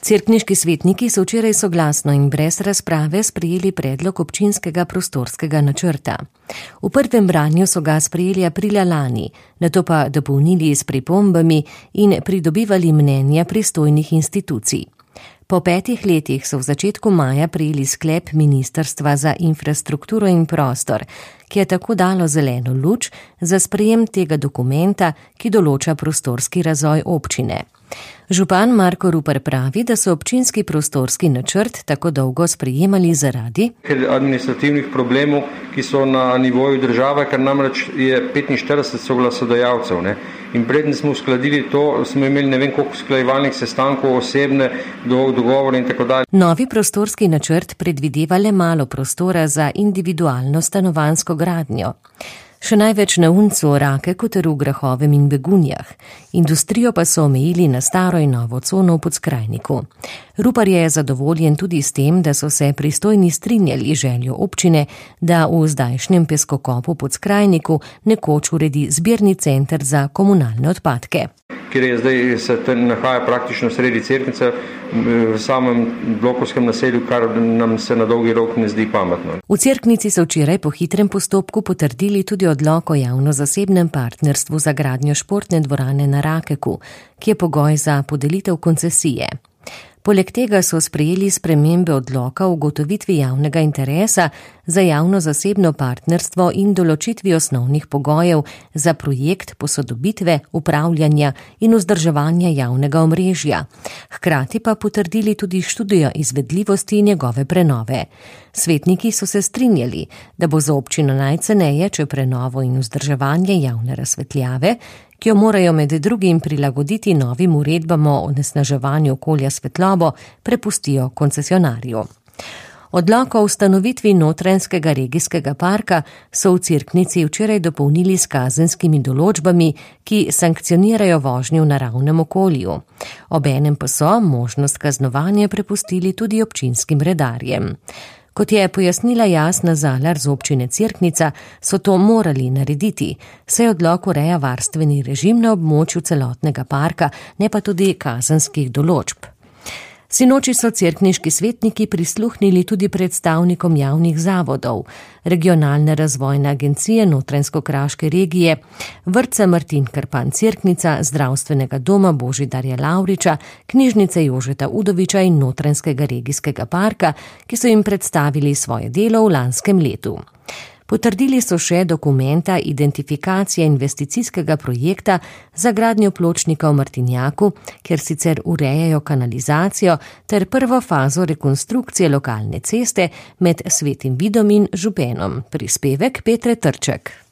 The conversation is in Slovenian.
Cerkniški svetniki so včeraj soglasno in brez razprave sprejeli predlog občinskega prostorskega načrta. V prvem branju so ga sprejeli aprila lani, nato pa dopolnili s pripombami in pridobivali mnenja pristojnih institucij. Po 5 letih so v začetku maja prejeli sklep Ministrstva za infrastrukturo in prostor, ki je tako dalo zeleno luč za sprejem tega dokumenta, ki določa prostorski razvoj občine. Župan Marko Rupar pravi, da so občinski prostorski načrt tako dolgo sprejemali zaradi administrativnih problemov, ki so na nivoju države, ker namreč je 45 soglasodajalcev. In preden smo uskladili to, smo imeli ne vem koliko usklajevalnih sestankov, osebne dogovore in tako dalje. Novi prostorski načrt predvideva le malo prostora za individualno stanovanjsko gradnjo. Še največ na Uncu, Rakeku ter v Grahovem in Begunjah. Industrijo pa so omejili na staro in novo cono v Podskrajniku. Rupar je zadovoljen tudi s tem, da so se pristojni strinjali željo občine, da v zdajšnjem peskokopu Podskrajniku nekoč uredi zbirni center za komunalne odpadke. Ker je zdaj se nahaja praktično sredi Cerknice v samem blokovskem naselju, kar nam se na dolgi rok ne zdi pametno. V Cerknici so včeraj po hitrem postopku potrdili tudi odlok o javno-zasebnem partnerstvu za gradnjo športne dvorane na Rakeku, ki je pogoj za podelitev koncesije. Poleg tega so sprejeli spremembe odloka o ugotovitvi javnega interesa za javno-zasebno partnerstvo in določitvi osnovnih pogojev za projekt posodobitve, upravljanja in vzdrževanja javnega omrežja. Hkrati pa potrdili tudi študijo izvedljivosti njegove prenove. Svetniki so se strinjali, da bo za občino najceneje, če prenovo in vzdrževanje javne razsvetljave, ki jo morajo med drugim prilagoditi novim uredbam o onesnaževanju okolja svetlobo, prepustijo koncesionarju. Odlok o ustanovitvi Notranjskega regijskega parka so v Cerknici včeraj dopolnili s kazenskimi določbami, ki sankcionirajo vožnjo v naravnem okolju. Obenem pa so možnost kaznovanja prepustili tudi občinskim redarjem. Kot je pojasnila Jasna Zalar z občine Cerknica, so to morali narediti, saj odlok ureja varstveni režim na območju celotnega parka, ne pa tudi kazenskih določb. Sinoči so cerkniški svetniki prisluhnili tudi predstavnikom javnih zavodov, Regionalne razvojne agencije Notranjsko-kraške regije, vrtca Martin Krpan Cerknica, Zdravstvenega doma Božidarja Lavriča, Knjižnice Jožeta Udoviča in Notranjskega regijskega parka, ki so jim predstavili svoje delo v lanskem letu. Potrdili so še dokumenta identifikacije investicijskega projekta za gradnjo pločnika v Martinjaku, kjer sicer urejajo kanalizacijo, ter prvo fazo rekonstrukcije lokalne ceste med Svetim Vidom in Župenom. Prispevek Petre Trček.